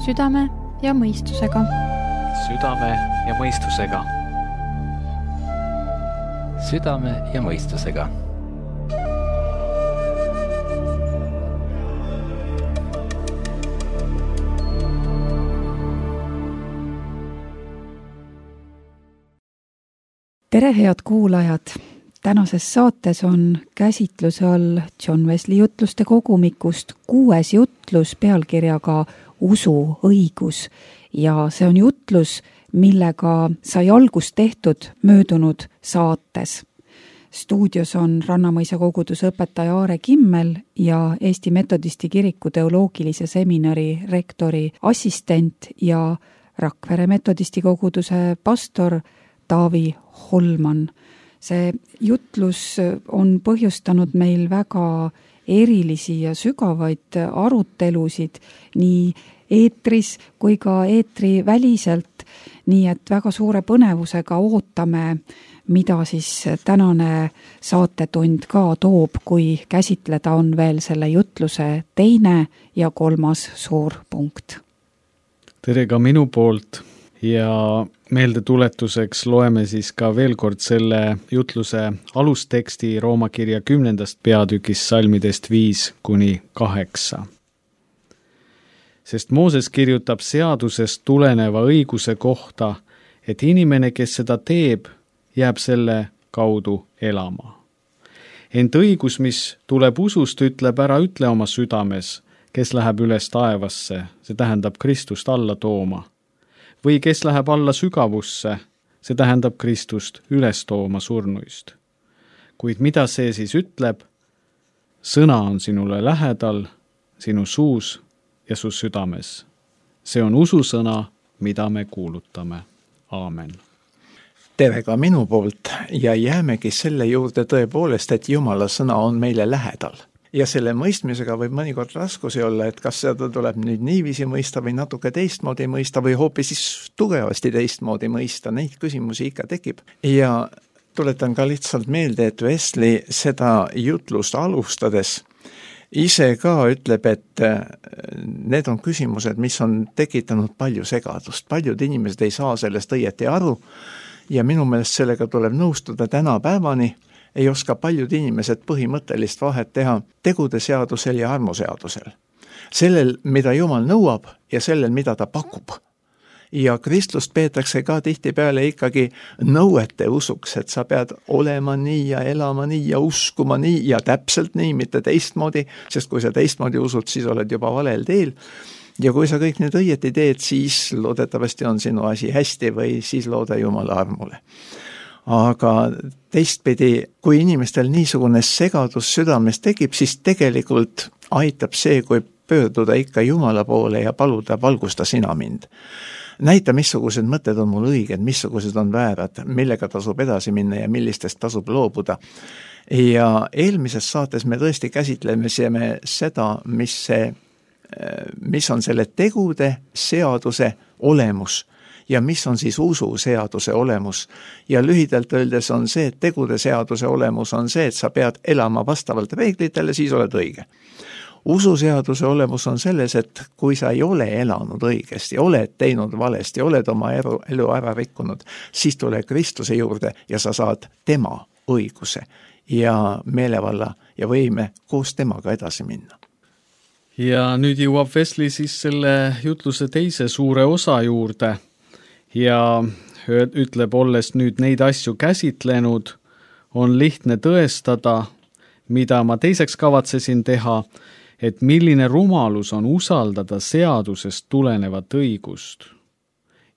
Südame ja mõistusega. Südame ja mõistusega. Südame ja mõistusega. Tere, head kuulajad! Tänases saates on käsitluse all John Wesley jutluste kogumikust 6. jutlus pealkirjaga Usu õigus ja see on jutlus, millega sai algust tehtud möödunud saates. Stuudios on Rannamõisa koguduse õpetaja Aare Kimmel ja Eesti Metodisti kiriku teoloogilise seminari rektori assistent ja Rakvere Metodisti koguduse pastor Taavi Holman. See jutlus on põhjustanud meil väga erilisi ja sügavaid arutelusid nii eetris kui ka eetri väliselt, nii et väga suure põnevusega ootame, mida siis tänane saatetund ka toob, kui käsitleda on veel selle jutluse 2. ja 3. suur punkt. Tere ka minu poolt ja meeldetuletuseks loeme siis ka veel kord selle jutluse alusteksti Rooma kirja 10. peatükis salmidest 5-8. Sest Mooses kirjutab seadusest tuleneva õiguse kohta, et inimene, kes seda teeb, jääb selle kaudu elama. Ent õigus, mis tuleb usust, ütleb ära ütle oma südames, kes läheb üles taevasse, see tähendab Kristust alla tooma. Või kes läheb alla sügavusse, see tähendab Kristust üles tooma surnuist. Kuid mida see siis ütleb? Sõna on sinule lähedal, sinu suus ja su südames. See on ususõna, mida me kuulutame. Aamen. Tere ka minu poolt ja jäämegi selle juurde tõepoolest, et Jumala sõna on meile lähedal. Ja selle mõistmisega võib mõnikord raskusi olla, et kas seda tuleb nüüd niiviisi mõista või natuke teistmoodi mõista või hoopis siis tugevasti teistmoodi mõista. Neid küsimusi ikka tekib. Ja tuletan ka lihtsalt meelde, et Wesley seda jutlust alustades ise ka ütleb, et need on küsimused, mis on tekitanud palju segadust. Paljud inimesed ei saa sellest õieti aru ja minu meelest sellega tuleb nõustuda tänapäevani. Ei oska paljud inimesed põhimõttelist vahet teha tegude seadusel ja armuseadusel. Sellel, mida Jumal nõuab ja sellel, mida ta pakub. Ja kristlust peetakse ka tihtipeale ikkagi nõuete usuks, et sa pead olema nii ja elama nii ja uskuma nii ja täpselt nii, mitte teistmoodi, sest kui sa teistmoodi usud, siis oled juba valel teel. Ja kui sa kõik nüüd õieti teed, siis loodetavasti on sinu asi hästi või siis looda Jumala armule. Aga teistpidi, kui inimestel niisugune segadus südames tekib, siis tegelikult aitab see, kui pöörduda ikka Jumala poole ja paluda, valgusta sina mind. Näita, missugused mõtted on mul õiged, missugused on väärad, millega tasub edasi minna ja millistest tasub loobuda. Ja eelmises saates me tõesti käsitleme seda, mis on selle tegude seaduse olemus ja mis on siis ususeaduse olemus. Ja lühidalt öeldes on see, et tegude seaduse olemus on see, et sa pead elama vastavalt reeglitele, siis oled õige. Ususeaduse olemus on selles, et kui sa ei ole elanud õigesti, oled teinud valesti, oled oma elu ära rikkunud, siis tule Kristuse juurde ja sa saad tema õiguse ja meelevalla ja võime koos temaga edasi minna. Ja nüüd jõuab Wesley siis selle jutluse 2. suure osa juurde. Ja ütleb, olles nüüd neid asju käsitlenud, on lihtne tõestada, mida ma teiseks kavatsesin teha, et milline rumalus on usaldada seadusest tulenevat õigust.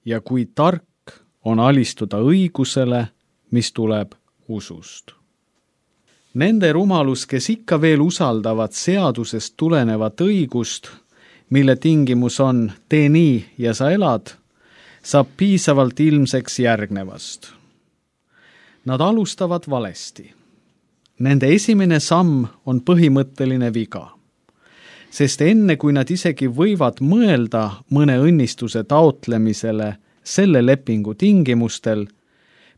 Ja kui tark on alistuda õigusele, mis tuleb usust. Nende rumalus, kes ikka veel usaldavad seadusest tulenevat õigust, mille tingimus on tee nii ja sa elad, saab piisavalt ilmseks järgnevast. Nad alustavad valesti. Nende esimene samm on põhimõtteline viga, sest enne kui nad isegi võivad mõelda mõne õnnistuse taotlemisele selle lepingu tingimustel,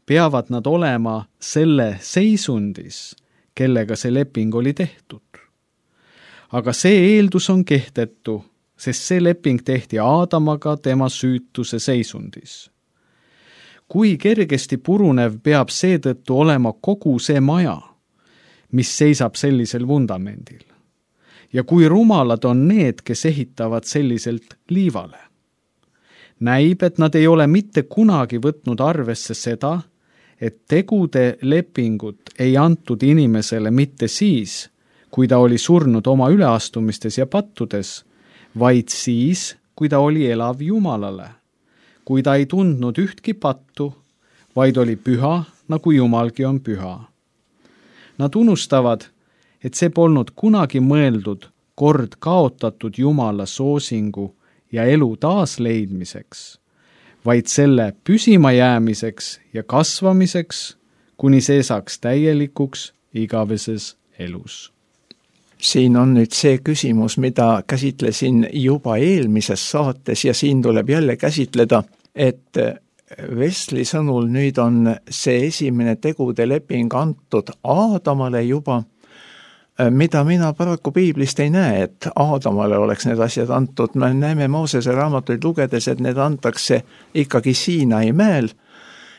peavad nad olema selle seisundis, kellega see leping oli tehtud. Aga see eeldus on kehtetu, sest see leping tehti Aadamaga tema süütuse seisundis. Kui kergesti purunev peab seetõttu olema kogu see maja, mis seisab sellisel vundamendil. Ja kui rumalad on need, kes ehitavad selliselt liivale. Näib, et nad ei ole mitte kunagi võtnud arvesse seda, et tegude lepingut ei antud inimesele mitte siis, kui ta oli surnud oma üleastumistes ja pattudes, vaid siis, kui ta oli elav Jumalale, kui ta ei tundnud ühtki pattu, vaid oli püha, nagu Jumalgi on püha. Nad unustavad, et see polnud kunagi mõeldud kord kaotatud Jumala soosingu ja elu taasleidmiseks, vaid selle püsima jäämiseks ja kasvamiseks, kuni see saaks täielikuks igaveses elus. Siin on nüüd see küsimus, mida käsitlesin juba eelmises saates ja siin tuleb jälle käsitleda, et Wesley sõnul nüüd on see esimene tegude leping antud Aadamale juba, mida mina paraku piiblist ei näe, et Aadamale oleks need asjad antud. Me näeme Moosese raamatuid lugedes, et need antakse ikkagi Siinai mäel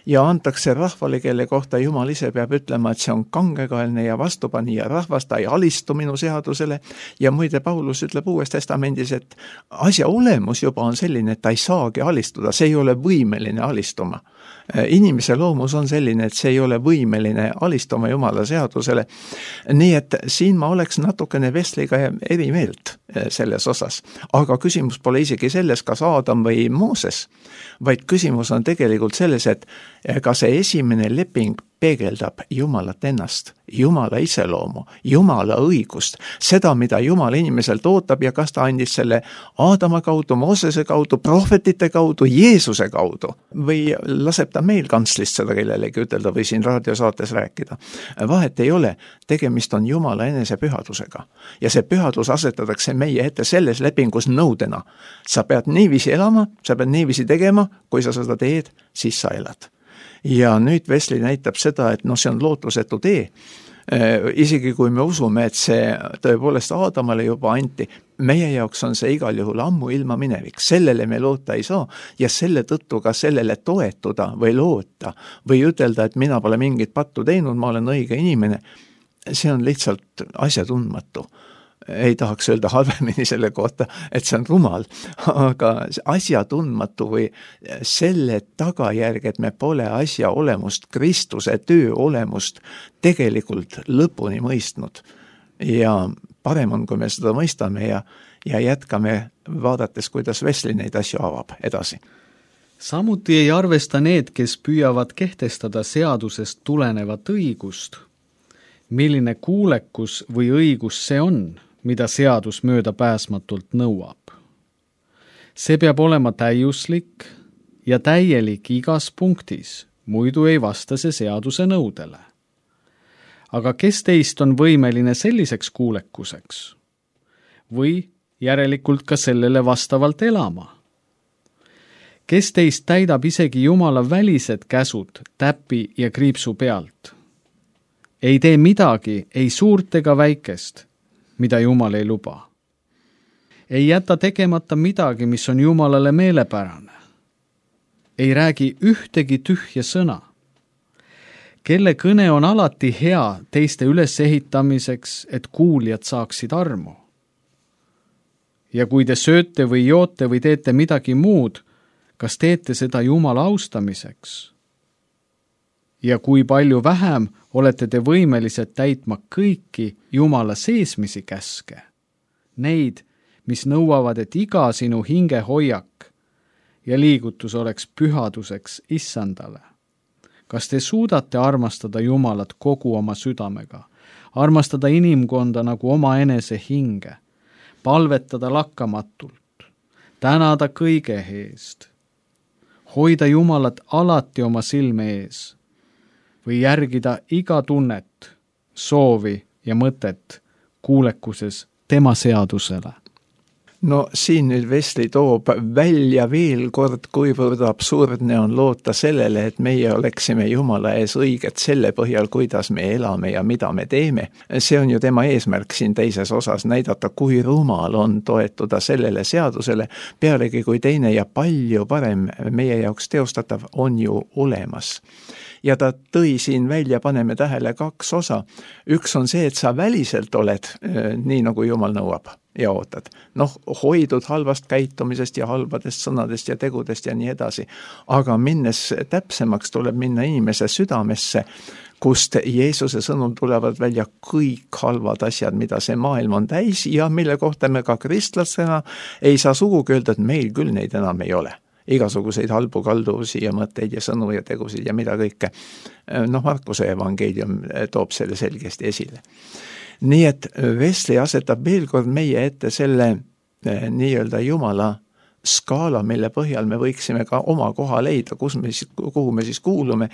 ja antakse rahvale, kelle kohta Jumal ise peab ütlema, et see on kangekaelne ja vastupanija rahvas, ta ei alistu minu seadusele. Ja muide, Paulus ütleb Uues Testamendis, et asja olemus juba on selline, et ta ei saagi alistuda, see ei ole võimeline alistuma. Inimese loomus on selline, et see ei ole võimeline alistuma Jumala seadusele. Nii et siin ma oleks natukene Wesleyga eri meelt selles osas. Aga küsimus pole isegi selles, kas Aadam või Mooses, vaid küsimus on tegelikult selles, et ka see esimene leping peegeldab Jumalat ennast, Jumala iseloomu, Jumala õigust, seda, mida Jumal inimeselt ootab ja kas ta andis selle Aadama kaudu, Moosese kaudu, prohvetite kaudu, Jeesuse kaudu või laseb ta meil kantslist seda kellelegi ütelda või siin raadiosaates rääkida. Vahet ei ole, tegemist on Jumala enese pühadusega ja see pühadus asetatakse meie ette selles lepingus nõudena. Sa pead niiviisi elama, sa pead niiviisi tegema, kui sa seda teed, siis sa elad. Ja nüüd Wesley näitab seda, et see on lootusetu tee. Isegi kui me usume, et see tõepoolest Aadamale juba anti, meie jaoks on see igal juhul ammu ilma minevik. Sellele me loota ei saa ja selle tõttu ka sellele toetuda või loota või ütelda, et mina pole mingit pattu teinud, ma olen õige inimene. See on lihtsalt asjatundmatu. Ei tahaks öelda halvemini selle kohta, et see on rumal, aga asjatundmatu või selle tagajärg, et me pole asja olemust, Kristuse töö olemust tegelikult lõpuni mõistnud. Ja parem on, kui me seda mõistame ja jätkame vaadates, kuidas Wesley neid asju avab edasi. Samuti ei arvesta need, kes püüavad kehtestada seadusest tulenevat õigust. Milline kuulekus või õigus see on, mida seadus mööda pääsmatult nõuab. See peab olema täiuslik ja täielik igas punktis, muidu ei vasta see seaduse nõudele. Aga kes teist on võimeline selliseks kuulekuseks? Või järelikult ka sellele vastavalt elama? Kes teist täidab isegi Jumala välised käsud täpi ja kriipsu pealt? Ei tee midagi, ei suurt ega väikest, mida Jumal ei luba. Ei jäta tegemata midagi, mis on Jumalale meelepärane. Ei räägi ühtegi tühja sõna. Kelle kõne on alati hea teiste ülesehitamiseks, et kuulijad saaksid armu. Ja kui te sööte või joote või teete midagi muud, kas teete seda Jumala austamiseks? Ja kui palju vähem olete te võimelised täitma kõiki Jumala seesmisi käske, neid, mis nõuavad, et iga sinu hinge hoiak ja liigutus oleks pühaduseks issandale. Kas te suudate armastada Jumalat kogu oma südamega, armastada inimkonda nagu oma enese hinge, palvetada lakkamatult, tänada kõige eest, hoida Jumalat alati oma silme ees, või järgida iga tunnet, soovi ja mõtet kuulekuses tema seadusele? No siin nüüd Wesley toob välja veel kord, kuivõrd absurdne on loota sellele, et meie oleksime Jumala ees õiged selle põhjal, kuidas me elame ja mida me teeme. See on ju tema eesmärk siin teises osas näidata, kui rumal on toetuda sellele seadusele, pealegi kui teine ja palju parem meie jaoks teostatav on ju olemas. Ja ta tõi siin välja, paneme tähele 2 osa. Üks on see, et sa väliselt oled nii, nagu Jumal nõuab ja ootad. Hoidud halvast käitumisest ja halbadest sõnadest ja tegudest ja nii edasi. Aga minnes täpsemaks tuleb minna inimese südamesse, kust Jeesuse sõnul tulevad välja kõik halvad asjad, mida see maailm on täis ja mille kohta me ka kristlastena ei saa sugugi öelda, et meil küll neid enam ei ole. Igasuguseid halbu kalduvusi ja mõtteid ja sõnu ja tegusid ja mida kõike. Markuse evangeelium toob selle selgesti esile. Nii et Wesley asetab veel kord meie ette selle nii-öelda Jumala skaala, mille põhjal me võiksime ka oma koha leida, kuhu me siis kuulume.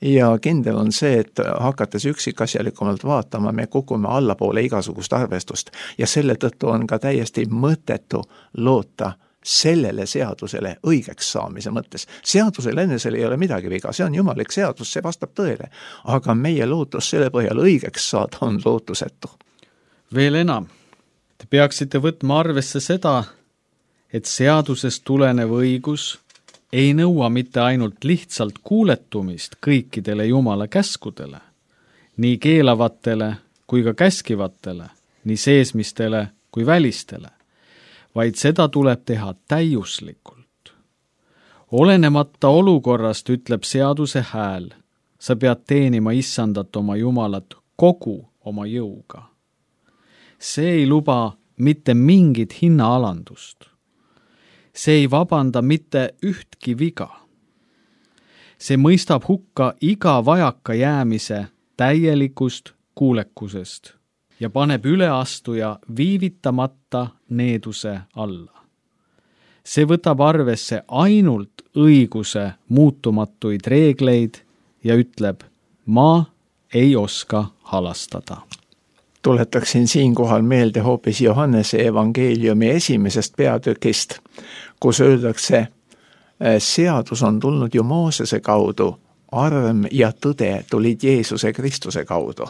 Ja kindel on see, et hakates üksikasjalikumalt vaatama, me kukume allapoole igasugust arvestust ja selle tõttu on ka täiesti mõttetu loota sellele seadusele õigeks saamise mõttes. Seadusel enesel ei ole midagi viga, see on jumalik seadus, see vastab tõele, aga meie lootus selle põhjal õigeks saada on lootusetu. Veel enam, te peaksite võtma arvesse seda, et seadusest tulenev õigus ei nõua mitte ainult lihtsalt kuuletumist kõikidele Jumala käskudele, nii keelavatele kui ka käskivatele, nii seesmistele kui välistele, vaid seda tuleb teha täiuslikult. Olenemata olukorrast ütleb seaduse hääl, sa pead teenima issandat oma Jumalat kogu oma jõuga. See ei luba mitte mingit hinnaalandust. See ei vabanda mitte ühtki viga. See mõistab hukka iga vajaka jäämise täielikust kuulekusest ja paneb üleastuja viivitamata needuse alla. See võtab arvesse ainult õiguse muutumatuid reegleid ja ütleb, ma ei oska halastada. Tuletaksin siinkohal meelde hoopis Johannese evangeeliumi 1. peatükist, kus öeldakse, seadus on tulnud ju Moosese kaudu, arm ja tõde tulid Jeesuse Kristuse kaudu.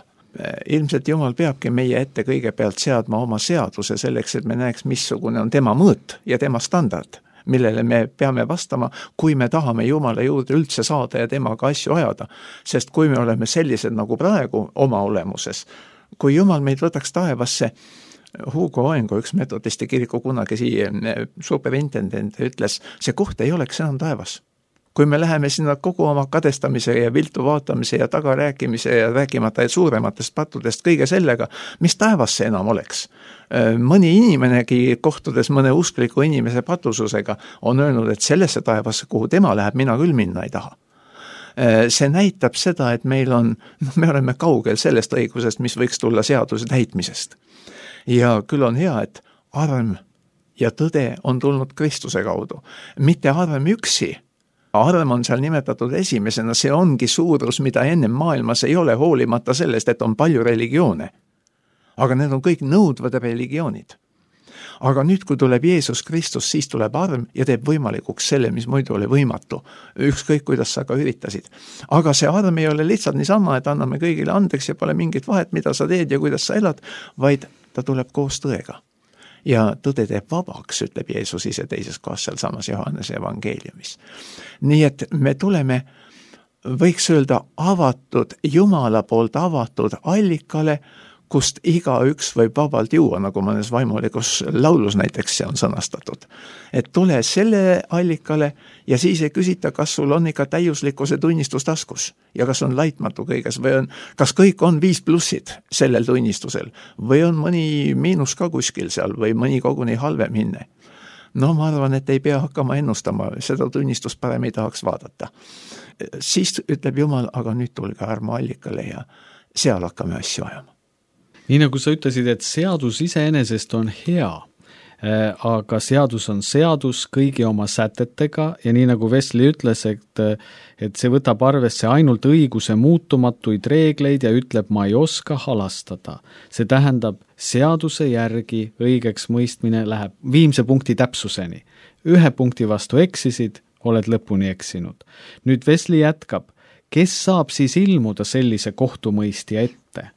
Ilmselt Jumal peabki meie ette kõigepealt seadma oma seaduse selleks, et me näeks, missugune on tema mõõt ja tema standard, millele me peame vastama, kui me tahame Jumala juurde üldse saada ja temaga asju ajada. Sest kui me oleme sellised nagu praegu oma olemuses, kui Jumal meid võtaks taevasse, Hugo Oengo, üks metodisti kiriku kunagi superintendent ütles, see koht ei oleks enam taevas. Kui me läheme sinna kogu oma kadestamise ja viltu vaatamise ja tagarääkimise ja rääkimata suurematest pattudest kõige sellega, mis taevas see enam oleks. Mõni inimenegi kohtudes mõne uskliku inimese patususega on öelnud, et sellesse taevasse, kuhu tema läheb, mina küll minna ei taha. See näitab seda, et me oleme kaugel sellest õigusest, mis võiks tulla seaduse täitmisest. Ja küll on hea, et arm ja tõde on tulnud Kristuse kaudu. Mitte arm üksi. Arm on seal nimetatud esimesena, see ongi suurus, mida ennem maailmas ei ole, hoolimata sellest, et on palju religioone. Aga need on kõik nõudvad religioonid. Aga nüüd, kui tuleb Jeesus Kristus, siis tuleb arm ja teeb võimalikuks selle, mis muidu oli võimatu. Ükskõik, kuidas sa ka üritasid. Aga see arm ei ole lihtsalt niisama, et anname kõigile andeks ja pole mingit vahet, mida sa teed ja kuidas sa elad, vaid ta tuleb koos tõega. Ja tõde teeb vabaks, ütleb Jeesus ise teises kohas seal samas Johannese evangeeliumis. Nii et me tuleme, võiks öelda, avatud, Jumala poolt avatud allikale, kust igaüks võib vabalt juua, nagu mõnes vaimulikus laulus näiteks see on sõnastatud. Et tule selle allikale ja siis ei küsita, kas sul on ikka täiuslikkuse tunnistus taskus ja kas on laitmatu kõiges või kas kõik on 5+ sellel tunnistusel või on mõni miinus ka kuskil seal või mõni koguni halvem hinne. No ma arvan, et ei pea hakkama ennustama, seda tunnistust parem ei tahaks vaadata. Siis ütleb Jumal, aga nüüd tulge armuallikale ja seal hakkame asju ajama. Nii nagu sa ütlesid, et seadus iseenesest on hea, aga seadus on seadus kõigi oma sätetega ja nii nagu Wesley ütles, et see võtab arvesse ainult õiguse muutumatuid reegleid ja ütleb, ma ei oska halastada. See tähendab, seaduse järgi õigeks mõistmine läheb viimse punkti täpsuseni. 1 punkti vastu eksisid, oled lõpuni eksinud. Nüüd Wesley jätkab, kes saab siis ilmuda sellise kohtumõistja ette,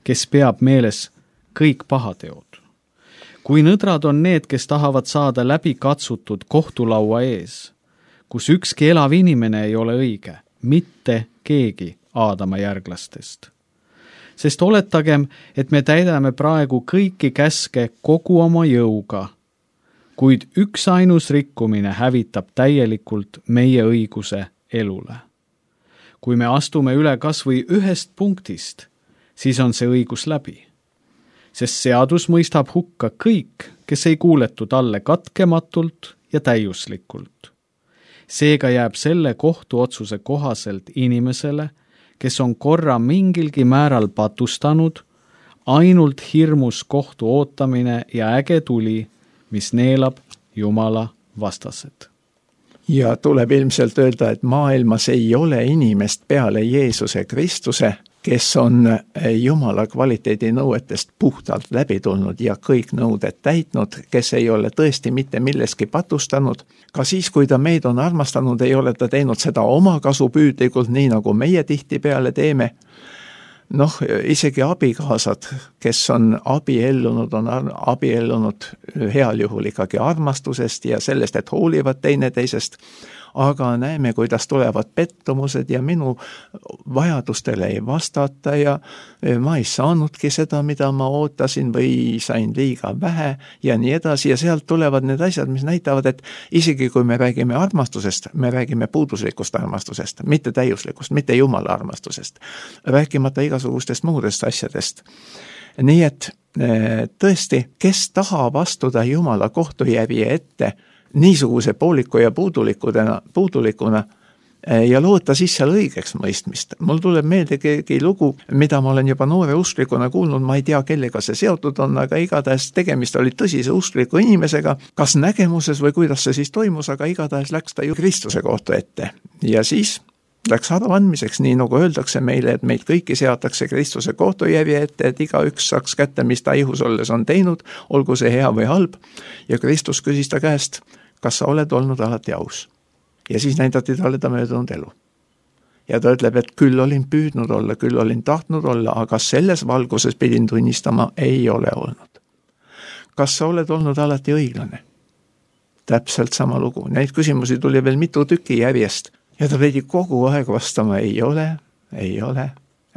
kes peab meeles kõik pahateod? Kui nõdrad on need, kes tahavad saada läbi katsutud kohtulaua ees, kus ükski elav inimene ei ole õige, mitte keegi Aadama järglastest. Sest oletagem, et me täidame praegu kõiki käske kogu oma jõuga, kuid üks ainus rikkumine hävitab täielikult meie õiguse elule. Kui me astume üle kas või 1 punktist, siis on see õigus läbi. Sest seadus mõistab hukka kõik, kes ei kuuletu talle katkematult ja täiuslikult. Seega jääb selle kohtuotsuse kohaselt inimesele, kes on korra mingilgi määral patustanud, ainult hirmus kohtu ootamine ja äge tuli, mis neelab Jumala vastased. Ja tuleb ilmselt öelda, et maailmas ei ole inimest peale Jeesuse Kristuse, kes on Jumala kvaliteedinõuetest puhtalt läbi tulnud ja kõik nõuded täitnud, kes ei ole tõesti mitte milleski patustanud. Ka siis, kui ta meid on armastanud, ei ole ta teinud seda oma kasupüüdlikult, nii nagu meie tihtipeale teeme. Isegi abikaasad, kes on abiellunud heal juhul ikkagi armastusest ja sellest, et hoolivad teineteisest, aga näeme, kuidas tulevad pettumused ja minu vajadustele ei vastata ja ma ei saanudki seda, mida ma ootasin või sain liiga vähe ja nii edasi ja sealt tulevad need asjad, mis näitavad, et isegi kui me räägime armastusest, me räägime puuduslikust armastusest, mitte täiuslikust, mitte Jumala armastusest, rääkimata igasugustest muudest asjadest. Nii et tõesti, kes tahab astuda Jumala kohtujärje ette niisuguse pooliku ja puudulikuna ja loota siis seal õigeks mõistmist. Mul tuleb meelde keegi lugu, mida ma olen juba noore usklikuna kuulnud, ma ei tea, kellega see seotud on, aga igatahes tegemist oli tõsise uskliku inimesega, kas nägemuses või kuidas see siis toimus, aga igatahes läks ta ju Kristuse kohtu ette. Ja siis läks aruandmiseks, nii nagu öeldakse meile, et meid kõiki seatakse Kristuse kohtujärje ette, et igaüks saaks kätte, mis ta ihus olles on teinud, olgu see hea või halb. Ja Kristus küsis ta käest, kas sa oled olnud alati aus? Ja siis näidati talle ta möödunud elu. Ja ta ütleb, et küll olin püüdnud olla, küll olin tahtnud olla, aga selles valguses pidin tunnistama, ei ole olnud. Kas sa oled olnud alati õiglane? Täpselt sama lugu. Neid küsimusi tuli veel mitu tüki järjest. Ja ta pidi kogu aeg vastama, ei ole, ei ole,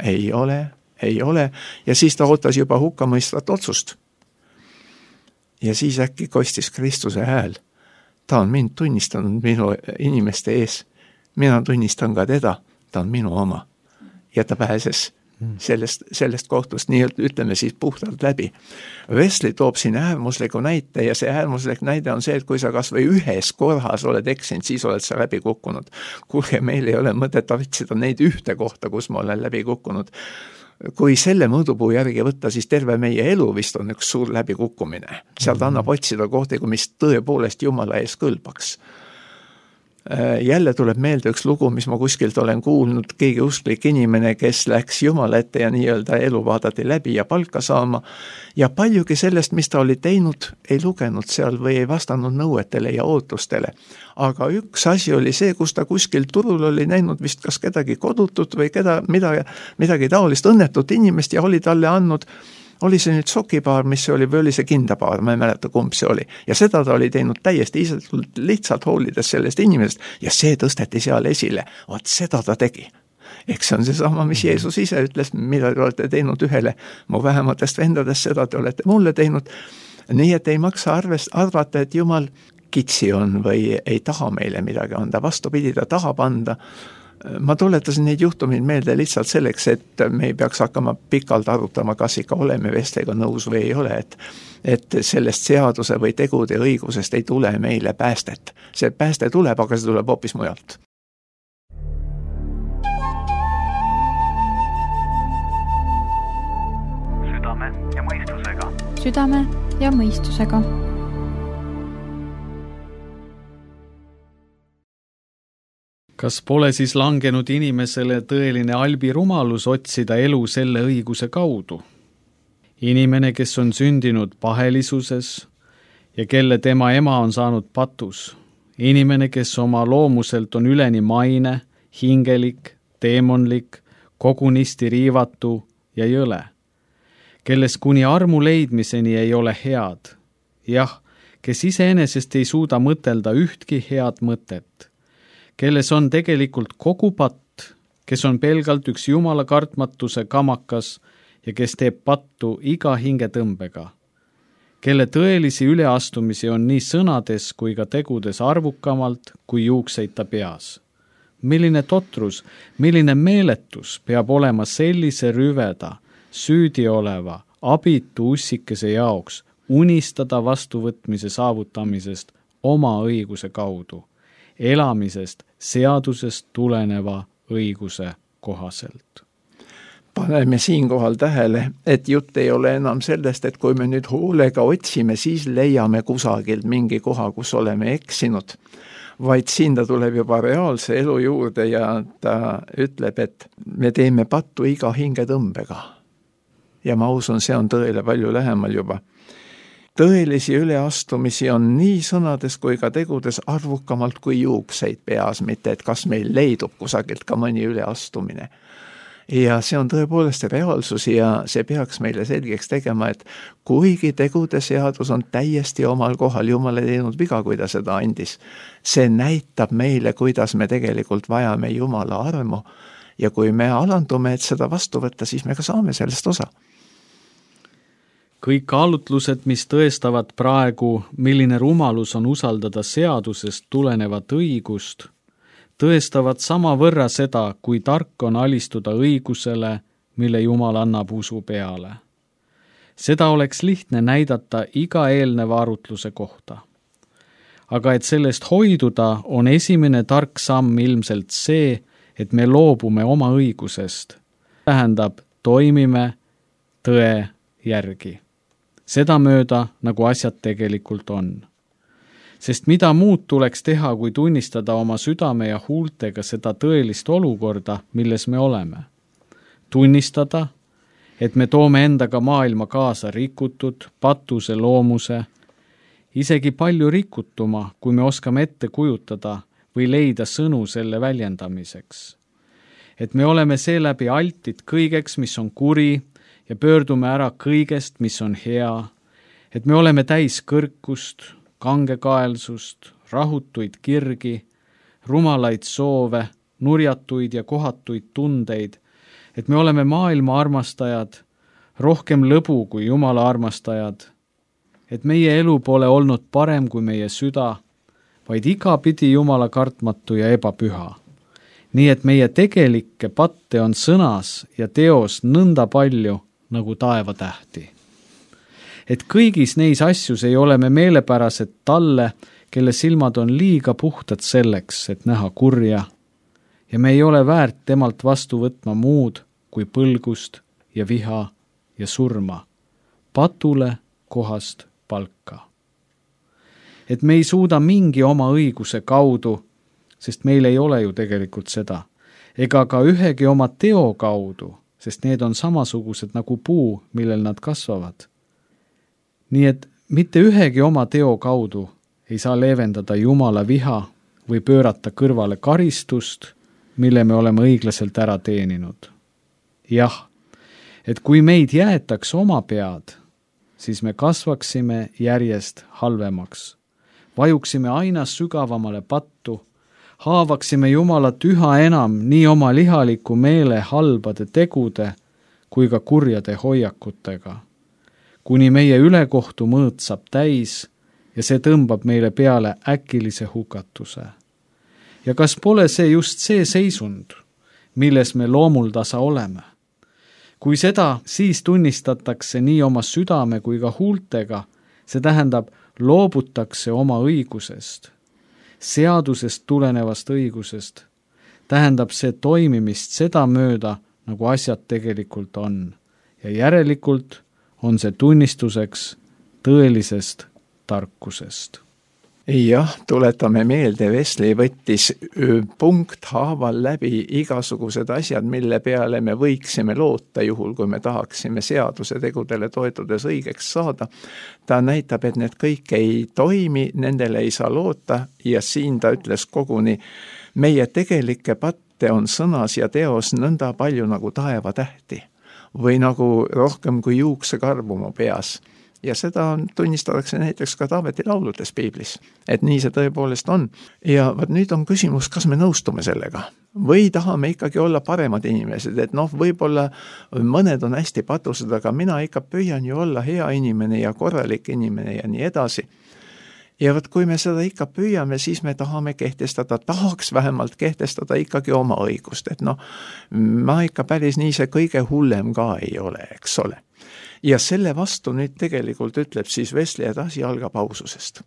ei ole, ei ole. Ja siis ta ootas juba hukkamõistvat otsust. Ja siis äkki kostis Kristuse hääl. Ta on mind tunnistanud minu inimeste ees. Mina tunnistan ka teda, ta on minu oma. Ja ta pääses sellest kohtust, nii ütleme siis puhtalt läbi. Wesley toob siin äärmusliku näite ja see äärmuslik näide on see, et kui sa kas või 1 korras oled eksinud, siis oled sa läbi kukkunud. Kuulge, meil ei ole mõtet otsida neid 1 kohta, kus ma olen läbi kukkunud. Kui selle mõõdupuu järgi võtta, siis terve meie elu vist on üks suur läbikukkumine. Sealt annab otsida kohti, mis tõepoolest Jumala ees kõlbaks. Jälle tuleb meelde üks lugu, mis ma kuskilt olen kuulnud, keegi usklik inimene, kes läks Jumala ette ja nii-öelda elu vaadati läbi ja palka saama ja paljugi sellest, mis ta oli teinud, ei lugenud seal või ei vastanud nõuetele ja ootustele. Aga üks asi oli see, kus ta kuskil turul oli näinud vist kas kedagi kodutut või midagi taolist õnnetut inimest ja oli talle andnud. Oli see nüüd sokipaar, mis see oli, või oli see kindapaar, ma ei mäleta, kumb see oli. Ja seda ta oli teinud täiesti lihtsalt hoolides sellest inimesest ja see tõsteti seal esile. Vaat seda ta tegi. Eks see on see sama, mis Jeesus ise ütles, mida te olete teinud ühele mu vähematest vendadest, seda te olete mulle teinud. Nii et ei maksa arvata, et Jumal kitsi on või ei taha meile midagi anda. Vastupidi, ta tahab anda. Ma tuletasin neid juhtumeid meelde lihtsalt selleks, et me ei peaks hakkama pikalt arutama, kas ikka oleme Wesleyga nõus või ei ole, et sellest seaduse või tegude õigusest ei tule meile päästet. See pääste tuleb, aga see tuleb hoopis mujalt. Südame ja mõistusega. Südame ja mõistusega. Kas pole siis langenud inimesele tõeline albirumalus otsida elu selle õiguse kaudu? inimene, kes on sündinud pahelisuses ja kelle tema ema on saanud patus, inimene, kes oma loomuselt on üleni maine, hingelik, teemonlik, kogunisti riivatu ja jõle, kelles kuni armu leidmiseni ei ole head, jah, kes iseenesest ei suuda mõtelda ühtki head mõtet, kelles on tegelikult kogu patt, kes on pelgalt üks Jumala kartmatuse kamakas ja kes teeb pattu iga hingetõmbega, kelle tõelisi üleastumisi on nii sõnades kui ka tegudes arvukamalt kui juukseid ta peas. Milline totrus, milline meeletus peab olema sellise rüveda, süüdi oleva, abitu ussikese jaoks unistada vastuvõtmise saavutamisest oma õiguse kaudu, elamisest seadusest tuleneva õiguse kohaselt. Paneme siinkohal tähele, et jutt ei ole enam sellest, et kui me nüüd hoolega otsime, siis leiame kusagilt mingi koha, kus oleme eksinud, vaid siin ta tuleb juba reaalse elu juurde ja ta ütleb, et me teeme pattu iga hingetõmbega. Ja ma usun, see on tõele palju lähemal juba. Tõelisi üleastumisi on nii sõnades kui ka tegudes arvukamalt kui juukseid peas, mitte et kas meil leidub kusagilt ka mõni üleastumine. Ja see on tõepoolest reaalsus ja see peaks meile selgeks tegema, et kuigi tegude seadus on täiesti omal kohal, Jumal ei teinud viga, kui ta seda andis, see näitab meile, kuidas me tegelikult vajame Jumala armu ja kui me alandume, et seda vastu võtta, siis me ka saame sellest osa. Kõik kaalutlused, mis tõestavad praegu, milline rumalus on usaldada seadusest tulenevat õigust, tõestavad samavõrra seda, kui tark on alistuda õigusele, mille Jumal annab usu peale. Seda oleks lihtne näidata iga eelneva arutluse kohta. Aga et sellest hoiduda, on esimene tark samm ilmselt see, et me loobume oma õigusest. Tähendab, toimime tõe järgi. Seda mööda, nagu asjad tegelikult on. Sest mida muud tuleks teha, kui tunnistada oma südame ja huultega seda tõelist olukorda, milles me oleme. Tunnistada, et me toome endaga maailma kaasa rikutud, patuse loomuse, isegi palju rikutuma, kui me oskame ette kujutada või leida sõnu selle väljendamiseks. Et me oleme seeläbi altid kõigeks, mis on kuri, ja pöördume ära kõigest, mis on hea, et me oleme täis kõrkust, kangekaelsust, rahutuid kirgi, rumalaid soove, nurjatuid ja kohatuid tundeid, et me oleme maailma armastajad, rohkem lõbu kui Jumala armastajad, et meie elu pole olnud parem kui meie süda, vaid igapidi Jumala kartmatu ja ebapüha. Nii et meie tegelikke patte on sõnas ja teos nõnda palju, nagu taevatähti. Et kõigis neis asjus ei ole me meelepärased talle, kelle silmad on liiga puhtad selleks, et näha kurja, ja me ei ole väärt temalt vastu võtma muud kui põlgust ja viha ja surma, patule kohast palka. Et me ei suuda mingi oma õiguse kaudu, sest meil ei ole ju tegelikult seda, ega ka ühegi oma teo kaudu, sest need on samasugused nagu puu, millel nad kasvavad. Nii et mitte ühegi oma teo kaudu ei saa leevendada Jumala viha või pöörata kõrvale karistust, mille me oleme õiglaselt ära teeninud. Jah, et kui meid jäetaks oma pead, siis me kasvaksime järjest halvemaks, vajuksime aina sügavamale pattu, haavaksime Jumalat üha enam nii oma lihaliku meele halbade tegude kui ka kurjade hoiakutega, kuni meie ülekohtu mõõt saab täis ja see tõmbab meile peale äkilise hukatuse. Ja kas pole see just see seisund, milles me loomuldasa oleme? Kui seda siis tunnistatakse nii oma südame kui ka huultega, see tähendab, loobutakse oma õigusest, seadusest tulenevast õigusest, tähendab see toimimist seda mööda, nagu asjad tegelikult on. Ja järelikult on see tunnistuseks tõelisest tarkusest. Jah, tuletame meelde, Wesley võttis punkthaaval läbi igasugused asjad, mille peale me võiksime loota juhul, kui me tahaksime seaduse tegudele toetudes õigeks saada. Ta näitab, et need kõik ei toimi, nendele ei saa loota ja siin ta ütles koguni, meie tegelikke patte on sõnas ja teos nõnda palju nagu taevatähti või nagu rohkem kui juuksekarvu mu peas. Ja seda tunnistatakse näiteks ka Taaveti lauludes piiblis, et nii see tõepoolest on. Ja nüüd on küsimus, kas me nõustume sellega või tahame ikkagi olla paremad inimesed, et võib-olla mõned on hästi patused, aga mina ikka püüan ju olla hea inimene ja korralik inimene ja nii edasi. Ja kui me seda ikka püüame, siis me tahaks vähemalt kehtestada ikkagi oma õigust, et ma ikka päris nii see kõige hullem ka ei ole, eks ole. Ja selle vastu nüüd tegelikult ütleb siis Wesley, et asi algab aususest.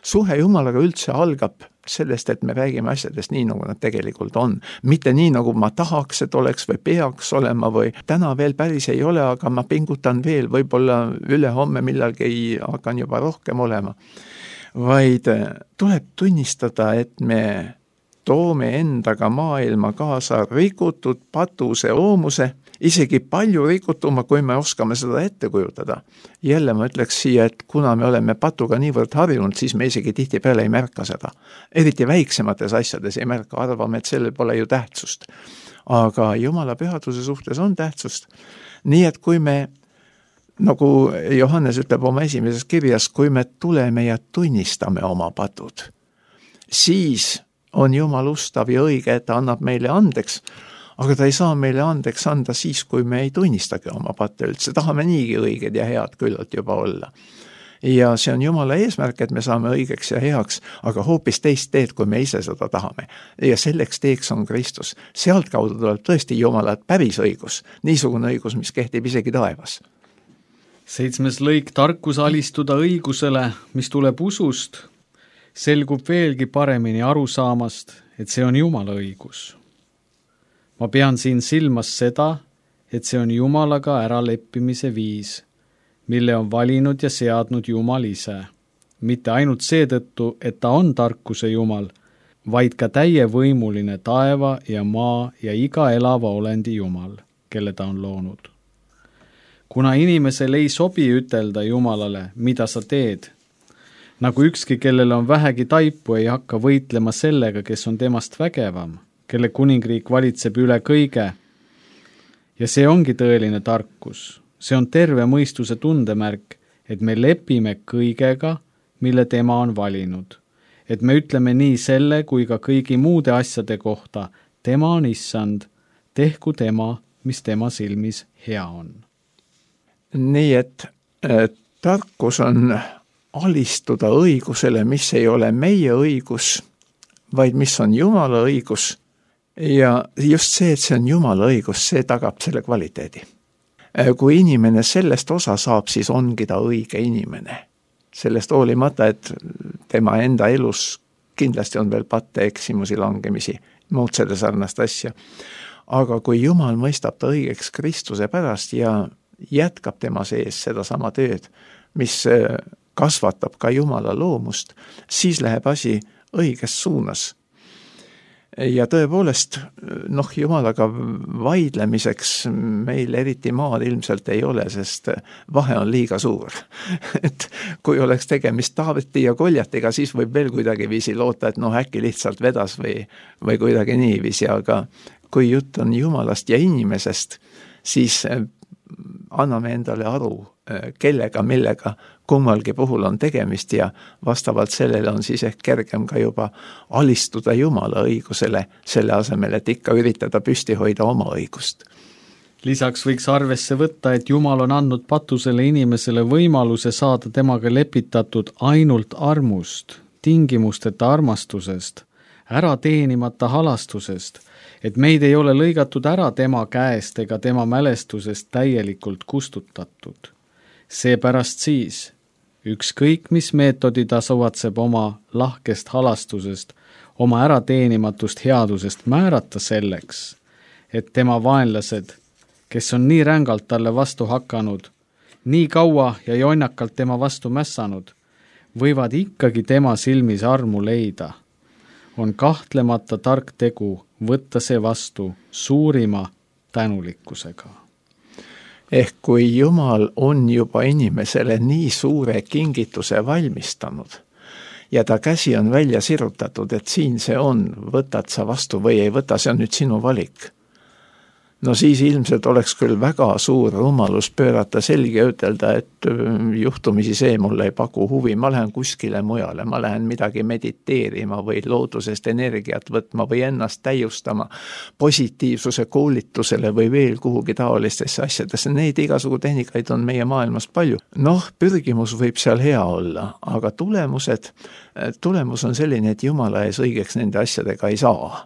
Suhe Jumalaga üldse algab sellest, et me räägime asjadest nii, nagu nad tegelikult on. Mitte nii, nagu ma tahaks, et oleks või peaks olema või täna veel päris ei ole, aga ma pingutan veel, võib-olla ülehomme millalgi hakkan juba rohkem olema. Vaid tuleb tunnistada, et me toome endaga maailma kaasa rikutud patuse loomuse, isegi palju rikutuma, kui me oskame seda ette kujutada. Jälle ma ütleks siia, et kuna me oleme patuga niivõrd harjunud, siis me isegi tihtipeale ei märka seda. Eriti väiksemates asjades ei märka, arvame, et sellel pole ju tähtsust. Aga Jumala pühaduse suhtes on tähtsust. Nii et kui me, nagu Johannes ütleb oma esimeses kirjas, kui me tuleme ja tunnistame oma patud, siis on Jumal ustav ja õige, et ta annab meile andeks, aga ta ei saa meile andeks anda siis, kui me ei tunnistagi oma patte üldse. Tahame niigi õiged ja head küllalt juba olla. Ja see on Jumala eesmärk, et me saame õigeks ja heaks, aga hoopis teist teed, kui me ise seda tahame. Ja selleks teeks on Kristus. Sealt kaudu tuleb tõesti Jumala päris õigus, niisugune õigus, mis kehtib isegi taevas. 7. lõik, tarkus alistuda õigusele, mis tuleb usust, selgub veelgi paremini arusaamast, et see on Jumala õigus. Ma pean siin silmas seda, et see on Jumalaga äraleppimise viis, mille on valinud ja seadnud Jumal ise. Mitte ainult seetõttu, et ta on tarkuse Jumal, vaid ka täievõimuline taeva ja maa ja iga elava olendi Jumal, kelle ta on loonud. Kuna inimesel ei sobi ütelda Jumalale, mida sa teed, nagu ükski, kellel on vähegi taipu, ei hakka võitlema sellega, kes on temast vägevam, kelle kuningriik valitseb üle kõige. Ja see ongi tõeline tarkus. See on terve mõistuse tundemärk, et me lepime kõigega, mille tema on valinud. Et me ütleme nii selle kui ka kõigi muude asjade kohta, tema on issand, tehku tema, mis tema silmis hea on. Nii et tarkus on alistuda õigusele, mis ei ole meie õigus, vaid mis on Jumala õigus. Ja just see, et see on Jumala õigus, see tagab selle kvaliteedi. Kui inimene sellest osa saab, siis ongi ta õige inimene. Sellest hoolimata, et tema enda elus kindlasti on veel patte, eksimusi, langemisi, muud selle sarnast asja. Aga kui Jumal mõistab ta õigeks Kristuse pärast ja jätkab tema sees seda sama tööd, mis kasvatab ka Jumala loomust, siis läheb asi õiges suunas. Ja tõepoolest, Jumalaga vaidlemiseks meil eriti maad ilmselt ei ole, sest vahe on liiga suur. Et kui oleks tegemist Taaveti ja Goljatiga, siis võib veel kuidagi viisi loota, et äkki lihtsalt vedas või kuidagi niiviisi, aga kui jutt on Jumalast ja inimesest, siis anname endale aru, kellega, millega kummalgi puhul on tegemist ja vastavalt sellele on siis ehk kergem ka juba alistuda Jumala õigusele, selle asemel, et ikka üritada püsti hoida oma õigust. Lisaks võiks arvesse võtta, et Jumal on andnud patusele inimesele võimaluse saada temaga lepitatud ainult armust, tingimusteta armastusest, ära teenimata halastusest, et meid ei ole lõigatud ära tema käest ega tema mälestusest täielikult kustutatud. Seepärast siis, ükskõik mis meetodi ta suvatseb oma lahkest halastusest, oma ärateenimatust headusest määrata selleks, et tema vaenlased, kes on nii rängalt talle vastu hakanud, nii kaua ja jonnakalt tema vastu mässanud, võivad ikkagi tema silmis armu leida, on kahtlemata tark tegu võtta see vastu suurima tänulikkusega. Ehk kui Jumal on juba inimesele nii suure kingituse valmistanud ja ta käsi on välja sirutatud, et siin see on, võtad sa vastu või ei võta, see on nüüd sinu valik. No siis ilmselt oleks küll väga suur rumalus pöörata selgi ja ütelda, et juhtumisi see mulle ei paku huvi, ma lähen kuskile mujale, ma lähen midagi mediteerima või loodusest energiat võtma või ennast täiustama positiivsuse koolitusele või veel kuhugi taolistesse asjadesse. Neid igasugu tehnikaid on meie maailmas palju. Noh, pürgimus võib seal hea olla, aga tulemus on selline, et Jumala ees õigeks nende asjadega ei saa.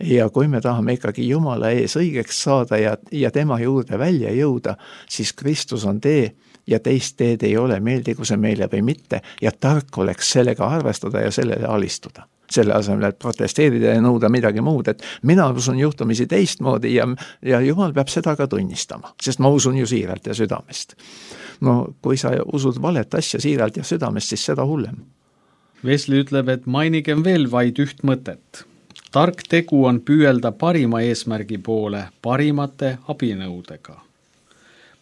Ja kui me tahame ikkagi Jumala ees õigeks saada ja tema juurde välja jõuda, siis Kristus on tee ja teist teed ei ole, meeldigu see meile või mitte, ja tark oleks sellega arvestada ja sellele alistuda. Selle asemel, et protesteerida ja nõuda midagi muud, et mina usun juhtumisi teistmoodi ja Jumal peab seda ka tunnistama, sest ma usun ju siiralt ja südamest. No kui sa usud valet asja siiralt ja südamest, siis seda hullem. Wesley ütleb, et mainigem veel vaid üht mõtet. Tark tegu on püüelda parima eesmärgi poole parimate abinõudega.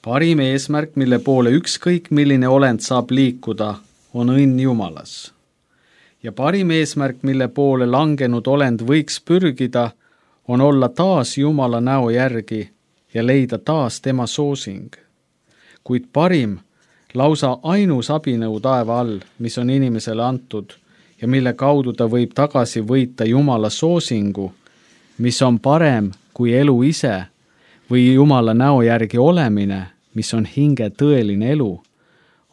Parim eesmärk, mille poole ükskõik milline olend saab liikuda, on õnn Jumalas. Ja parim eesmärk, mille poole langenud olend võiks pürgida, on olla taas Jumala näo järgi ja leida taas tema soosing. Kuid parim, lausa ainus abinõu taeva all, mis on inimesele antud, ja mille kaudu ta võib tagasi võita Jumala soosingu, mis on parem kui elu ise või Jumala näo järgi olemine, mis on hinge tõeline elu,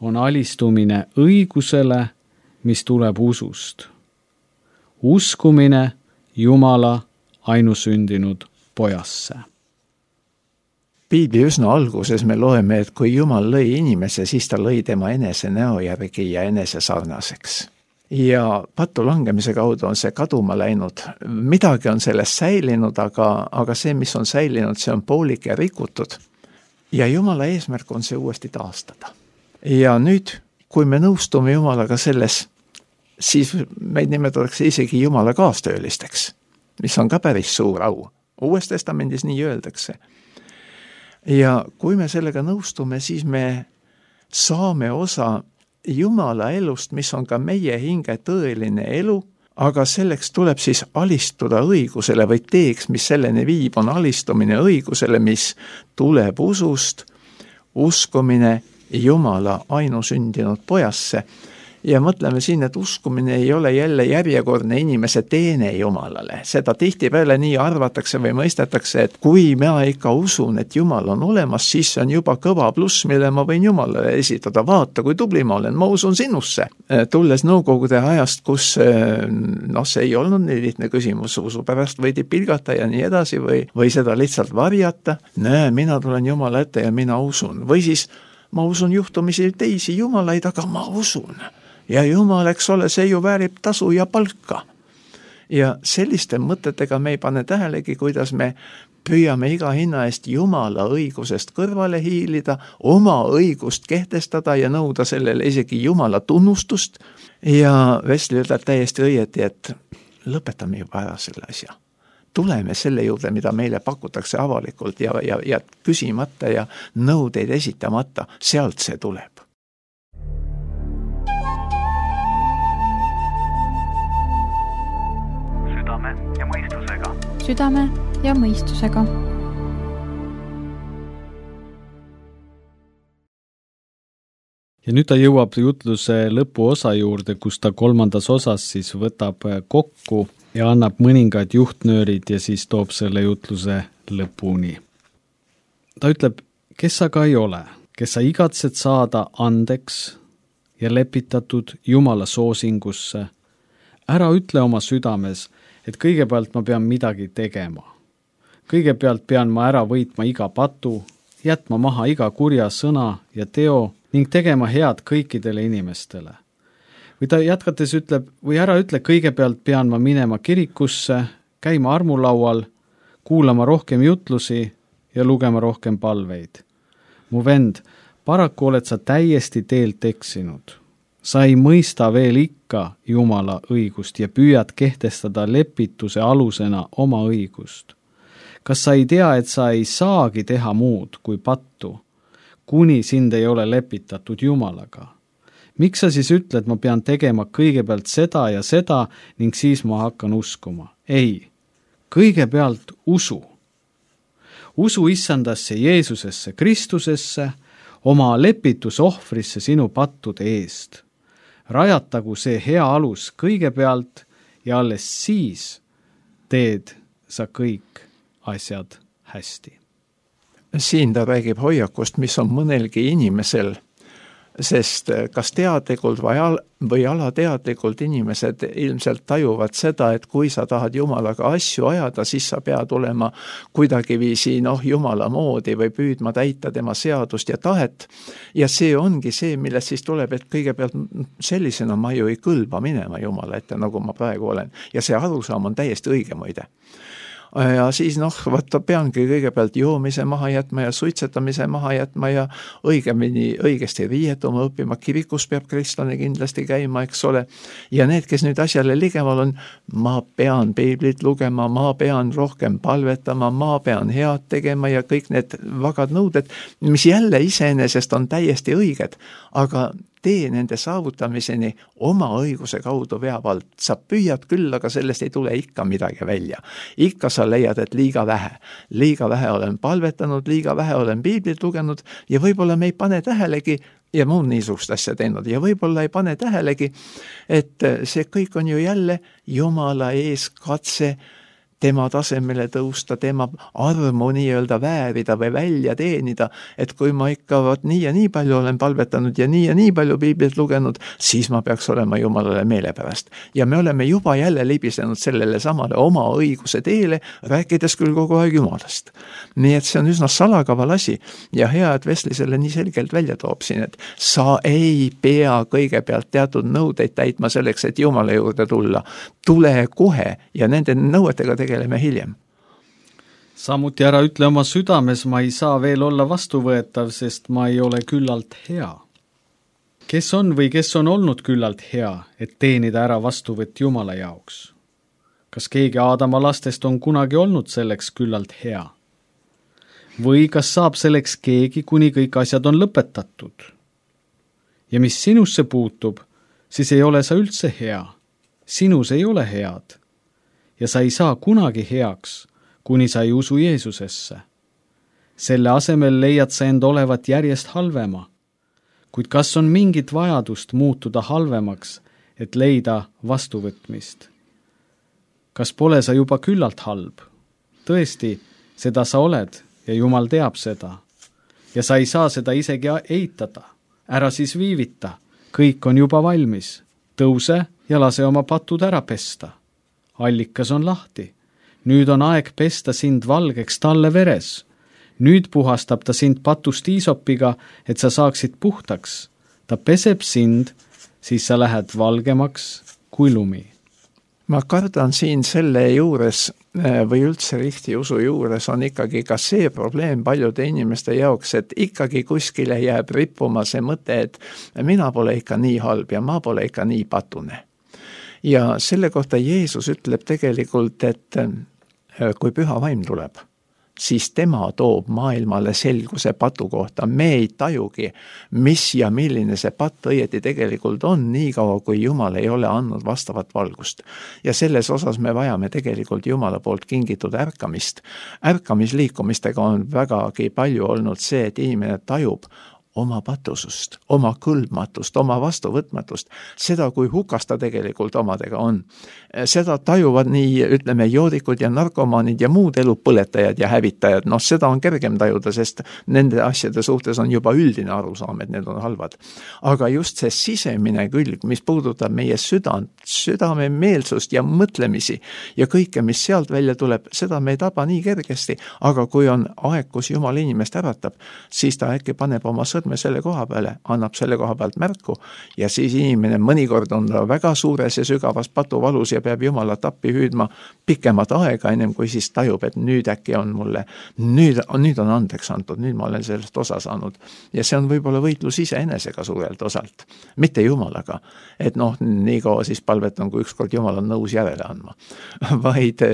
on alistumine õigusele, mis tuleb usust. Uskumine Jumala ainusündinud pojasse. Piibli üsna alguses me loeme, et kui Jumal lõi inimese, siis ta lõi tema enese näo järgi ja enese sarnaseks. Ja pattu langemise kaudu on see kaduma läinud. Midagi on sellest säilinud, aga see, mis on säilinud, see on poolik ja rikutud. Ja Jumala eesmärk on see uuesti taastada. Ja nüüd, kui me nõustume Jumalaga selles, siis meid nimetatakse isegi Jumala kaastöölisteks, mis on ka päris suur au. Uues testamendis nii öeldakse. Ja kui me sellega nõustume, siis me saame osa Jumala elust, mis on ka meie hinge tõeline elu, aga selleks tuleb siis alistuda õigusele või teeks, mis selleni viib, on alistumine õigusele, mis tuleb usust, uskumine Jumala ainusündinud pojasse. Ja mõtleme siin, et uskumine ei ole jälle järjekordne inimese teene Jumalale. Seda tihtipeale nii arvatakse või mõistetakse, et kui mina ikka usun, et Jumal on olemas, siis see on juba kõva pluss, mille ma võin Jumalale esitada. Vaata, kui tubli ma olen, ma usun sinusse. Tulles nõukogude ajast, kus see ei olnud nii lihtne küsimus, usu pärast võidi pilgata ja nii edasi või seda lihtsalt varjata. Mina tulen Jumala ette ja mina usun. Või siis ma usun juhtumisi teisi Jumalaid, aga ma usun. Ja Jumal, eks ole, see ju väärib tasu ja palka. Ja selliste mõtetega me ei pane tähelegi, kuidas me püüame iga hinna eest Jumala õigusest kõrvale hiilida, oma õigust kehtestada ja nõuda sellele isegi Jumala tunnustust. Ja Wesley ütleb täiesti õieti, et lõpetame juba ära selle asja. Tuleme selle juurde, mida meile pakutakse avalikult ja küsimata ja nõudeid esitamata, sealt see tuleb. Südame ja mõistusega. Ja nüüd ta jõuab jutluse lõpuosa juurde, kus ta kolmandas osas siis võtab kokku ja annab mõningad juhtnöörid ja siis toob selle jutluse lõpuni. Ta ütleb, kes aga ei ole, kes sa igatsed saada andeks ja lepitatud Jumala soosingusse, ära ütle oma südames, et kõigepealt ma pean midagi tegema. Kõigepealt pean ma ära võitma iga patu, jätma maha iga kurja sõna ja teo ning tegema head kõikidele inimestele. Või ta jätkates ütleb, või ära ütle, kõigepealt pean ma minema kirikusse, käima armulaual, kuulama rohkem jutlusi ja lugema rohkem palveid. Mu vend, paraku oled sa täiesti teelt eksinud. sa ei mõista veel ikka Jumala õigust ja püüad kehtestada lepituse alusena oma õigust. Kas sa ei tea, et sa ei saagi teha muud kui pattu, kuni sind ei ole lepitatud Jumalaga? Miks sa siis ütled, ma pean tegema kõigepealt seda ja seda ning siis ma hakkan uskuma? Ei, kõigepealt usu. Usu issandasse Jeesusesse, Kristusesse, oma lepitusohvrisse sinu pattude eest. Rajatagu see hea alus kõigepealt ja alles siis teed sa kõik asjad hästi. Siin ta räägib hoiakust, mis on mõnelgi inimesel, sest kas teadlikult või alateadlikult inimesed ilmselt tajuvad seda, et kui sa tahad Jumalaga asju ajada, siis sa pead olema kuidagiviisi Jumala moodi või püüdma täita tema seadust ja tahet. Ja see ongi see, millest siis tuleb, et kõigepealt sellisena ma ju ei kõlba minema Jumala ette, nagu ma praegu olen. Ja see arusaam on täiesti õige muide. Ja siis peangi kõigepealt joomise maha jätma ja suitsetamise maha jätma ja õigesti riietuma õppima, kirikus peab kristlane kindlasti käima, eks ole. Ja need, kes nüüd asjale ligemal on, ma pean piiblit lugema, ma pean rohkem palvetama, ma pean head tegema ja kõik need vagad nõuded, mis jälle iseenesest on täiesti õiged, aga tee nende saavutamiseni oma õiguse kaudu veavalt. Sa püüad küll, aga sellest ei tule ikka midagi välja. Ikka sa leiad, et liiga vähe olen palvetanud, liiga vähe olen piiblit lugenud ja võib-olla me ei pane tähelegi ja muud niisugust asja teinud ja võib-olla ei pane tähelegi, et see kõik on ju jälle Jumala ees katse tema tasemele tõusta, tema armu nii-öelda väärida või välja teenida, et kui ma ikka nii ja nii palju olen palvetanud ja nii palju piiblit lugenud, siis ma peaks olema Jumalale meelepärast. Ja me oleme juba jälle libisenud sellele samale oma õiguse teele, rääkides küll kogu aeg Jumalast. Nii et see on üsna salakaval asi ja hea, et Wesley selle nii selgelt välja toob siin, et sa ei pea kõigepealt teatud nõudeid täitma selleks, et Jumala juurde tulla. Tule kohe ja nende nõuetega tegeleme hiljem. Samuti ära ütle oma südames, ma ei saa veel olla vastuvõetav, sest ma ei ole küllalt hea. Kes on või kes on olnud küllalt hea, et teenida ära vastuvõtt Jumala jaoks? Kas keegi Aadama lastest on kunagi olnud selleks küllalt hea? Või kas saab selleks keegi, kuni kõik asjad on lõpetatud? Ja mis sinusse puutub, siis ei ole sa üldse hea. Sinus ei ole head. Ja sa ei saa kunagi heaks, kuni sa ei usu Jeesusesse. Selle asemel leiad sa end olevat järjest halvema. Kuid kas on mingit vajadust muutuda halvemaks, et leida vastuvõtmist? Kas pole sa juba küllalt halb? Tõesti, seda sa oled ja Jumal teab seda. Ja sa ei saa seda isegi eitada. Ära siis viivita, kõik on juba valmis. Tõuse ja lase oma patud ära pesta. Allikas on lahti. Nüüd on aeg pesta sind valgeks talle veres. Nüüd puhastab ta sind patust iisopiga, et sa saaksid puhtaks. Ta peseb sind, siis sa lähed valgemaks kui lumi. Ma kardan siin selle juures või üldse rihti usu juures on ikkagi ka see probleem paljude inimeste jaoks, et ikkagi kuskile jääb rippuma see mõte, et mina pole ikka nii halb ja ma pole ikka nii patune. Ja selle kohta Jeesus ütleb tegelikult, et kui püha vaim tuleb, siis tema toob maailmale selguse patu kohta. Me ei tajugi, mis ja milline see patt õieti tegelikult on, nii kaua kui Jumal ei ole andnud vastavat valgust. Ja selles osas me vajame tegelikult Jumala poolt kingitud ärkamist. Ärkamisliikumistega on vägagi palju olnud see, et inimene tajub oma patusust, oma kõlbmatust, oma vastuvõtmatust, seda, kui hukas ta tegelikult omadega on. Seda tajuvad nii, ütleme, joodikud ja narkomaanid ja muud elupõletajad ja hävitajad. Seda on kergem tajuda, sest nende asjade suhtes on juba üldine arusaam, et need on halvad. Aga just see sisemine külg, mis puudutab meie südame meelsust ja mõtlemisi ja kõike, mis sealt välja tuleb, seda me ei taba nii kergesti. Aga kui on aeg, kus Jumal inimest äratab, siis ta äkki paneb oma sõrme selle koha peale, annab selle koha pealt märku ja siis inimene mõnikord on väga suures ja sügavas patuvalus ja peab Jumalat appi hüüdma pikemat aega, ennem kui siis tajub, et nüüd äkki on mulle, nüüd on andeks antud, nüüd ma olen sellest osa saanud. Ja see on võib-olla võitlus iseenesega suurelt osalt, mitte Jumalaga, et nii kaua siis palvetan, kui ükskord Jumal on nõus järele andma, vaid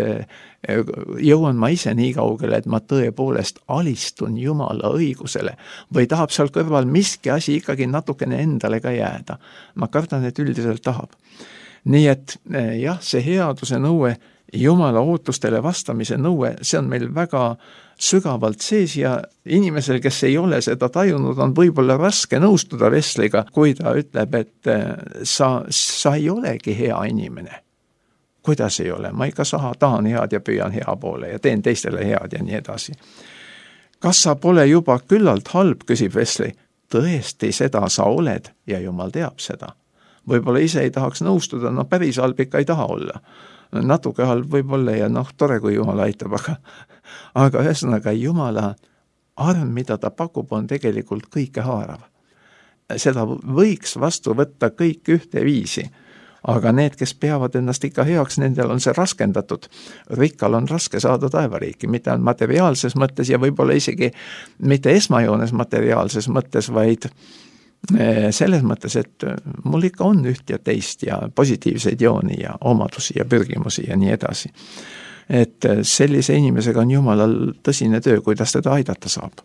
jõuan ma ise nii kaugele, et ma tõepoolest alistun Jumala õigusele või tahab seal kõrval miski asi ikkagi natukene endale ka jääda. Ma kardan, et üldiselt tahab. Nii et jah, see headuse nõue, Jumala ootustele vastamise nõue, see on meil väga sügavalt sees ja inimesel, kes ei ole seda tajunud, on võib-olla raske nõustuda Wesleyga, kui ta ütleb, et sa ei olegi hea inimene. Kuidas ei ole? Ma ikka tahan head ja püüan hea poole ja teen teistele head ja nii edasi. Kas sa pole juba küllalt halb, küsib Wesley. Tõesti, seda sa oled ja Jumal teab seda. Võib-olla ise ei tahaks nõustuda, päris halb ikka ei taha olla. Natuke halb võib-olla ja tore, kui Jumal aitab, aga ühesõnaga Jumala arm, mida ta pakub, on tegelikult kõike haarav. Seda võiks vastu võtta kõik ühte viisi, aga need, kes peavad ennast ikka heaks, nendel on see raskendatud. Rikkal on raske saada taevariiki, mitte on materiaalses mõttes ja võib-olla isegi mitte esmajoones materiaalses mõttes, vaid selles mõttes, et mul ikka on üht ja teist ja positiivseid jooni ja omadusi ja pürgimusi ja nii edasi. Et sellise inimesega on Jumalal tõsine töö, kuidas teda aidata saab.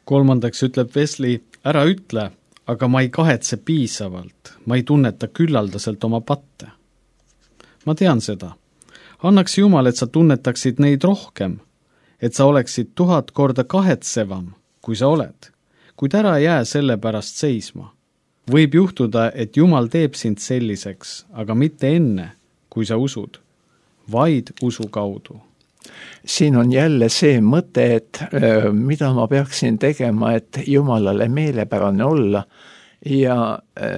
Kolmandaks ütleb Wesley, ära ütle, aga ma ei kahetse piisavalt, ma ei tunneta küllaldaselt oma patte. Ma tean seda. Annaks Jumal, et sa tunnetaksid neid rohkem, et sa oleksid 1000 korda kahetsevam, kui sa oled. Kuid ära jää selle pärast seisma. Võib juhtuda, et Jumal teeb sind selliseks, aga mitte enne, kui sa usud, vaid usu kaudu. Siin on jälle see mõte, et mida ma peaksin tegema, et Jumalale meelepärane olla ja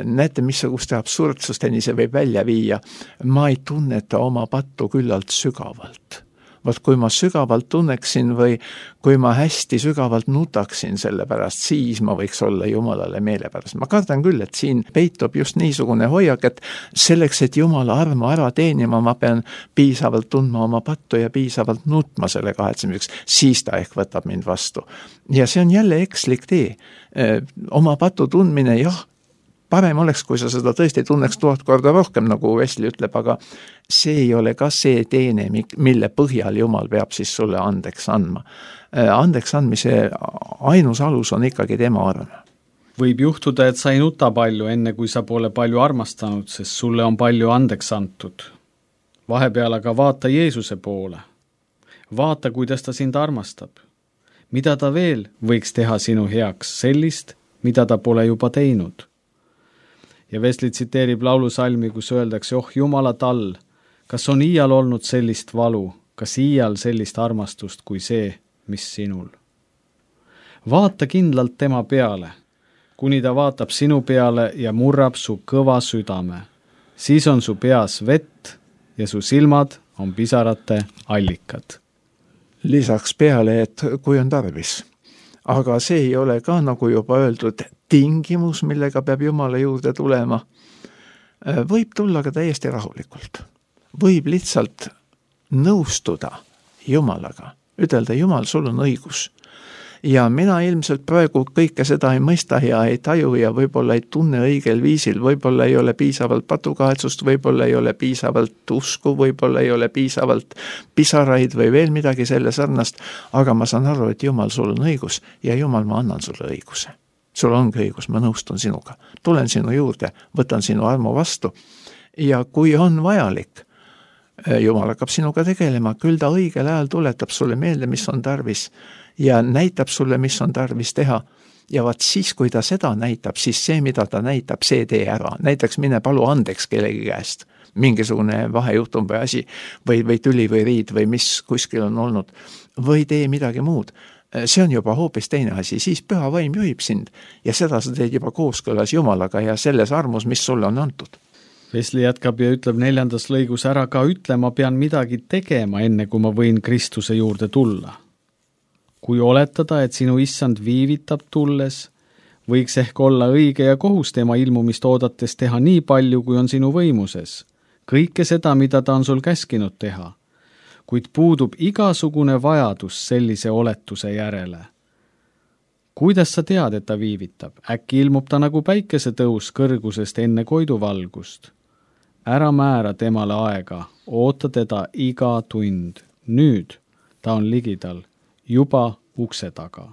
näete, missuguste absurdsusteni see võib välja viia. Ma ei tunneta oma pattu küllalt sügavalt. Vot kui ma sügavalt tunneksin või kui ma hästi sügavalt nutaksin selle pärast, siis ma võiks olla Jumalale meelepärast. Ma kardan küll, et siin peitub just niisugune hoiak, et selleks, et Jumala armu ära teenima, ma pean piisavalt tundma oma pattu ja piisavalt nutma selle kahetsemiseks, siis ta ehk võtab mind vastu. Ja see on jälle ekslik tee. Oma patu tundmine, jah, parem oleks, kui sa seda tõesti tunneks 1000 korda rohkem, nagu Wesley ütleb, aga see ei ole ka see teene, mille põhjal Jumal peab siis sulle andeks andma. Andeks andmise ainus alus on ikkagi tema arm. Võib juhtuda, et sa ei nuta palju, enne kui sa pole palju armastanud, sest sulle on palju andeks antud. Vahepeal aga vaata Jeesuse poole. Vaata, kuidas ta sind armastab. Mida ta veel võiks teha sinu heaks, sellist, mida ta pole juba teinud. Ja Wesley tsiteerib laulusalmi, kus öeldakse, Jumala tall, kas on iial olnud sellist valu, kas iial sellist armastust kui see, mis sinul. Vaata kindlalt tema peale, kuni ta vaatab sinu peale ja murrab su kõva südame. Siis on su peas vett ja su silmad on pisarate allikad. Lisaks peale, et kui on tarvis. Aga see ei ole ka, nagu juba öeldud, tingimus, millega peab Jumala juurde tulema. Võib tulla ka täiesti rahulikult. Võib lihtsalt nõustuda Jumalaga. Ütelda, Jumal, sul on õigus. Ja mina ilmselt praegu kõike seda ei mõista ja ei taju ja võib-olla ei tunne õigel viisil, võib-olla ei ole piisavalt patukahetsust, võib-olla ei ole piisavalt usku, võib-olla ei ole piisavalt pisaraid või veel midagi selle sarnast, aga ma saan aru, et Jumal, sul on õigus ja Jumal, ma annan sulle õiguse. Sul ongi õigus, ma nõustun sinuga. Tulen sinu juurde, võtan sinu armu vastu ja kui on vajalik, Jumal hakkab sinuga tegelema, küll ta õigel ajal tuletab sulle meelde, mis on tarvis ja näitab sulle, mis on tarvis teha. Ja vaat siis, kui ta seda näitab, siis see, mida ta näitab, see tee ära. Näiteks mine palu andeks kellegi käest, mingisugune vahejuhtum või asi, või tüli või riid või mis kuskil on olnud, või tee midagi muud. See on juba hoopis teine asi, siis püha vaim juhib sind ja seda sa teed juba kooskõlas Jumalaga ja selles armus, mis sulle on antud. Wesley jätkab ja ütleb 4. lõigus, ära ka ütle, ma pean midagi tegema, enne kui ma võin Kristuse juurde tulla. Kui oletada, et sinu issand viivitab tulles, võiks ehk olla õige ja kohus tema ilmumist oodates teha nii palju, kui on sinu võimuses, kõike seda, mida ta on sul käskinud teha, kuid puudub igasugune vajadus sellise oletuse järele. Kuidas sa tead, et ta viivitab? Äkki ilmub ta nagu päikesetõus kõrgusest enne koiduvalgust. Ära määra temale aega, oota teda iga tund. Nüüd ta on ligidal, juba ukse taga.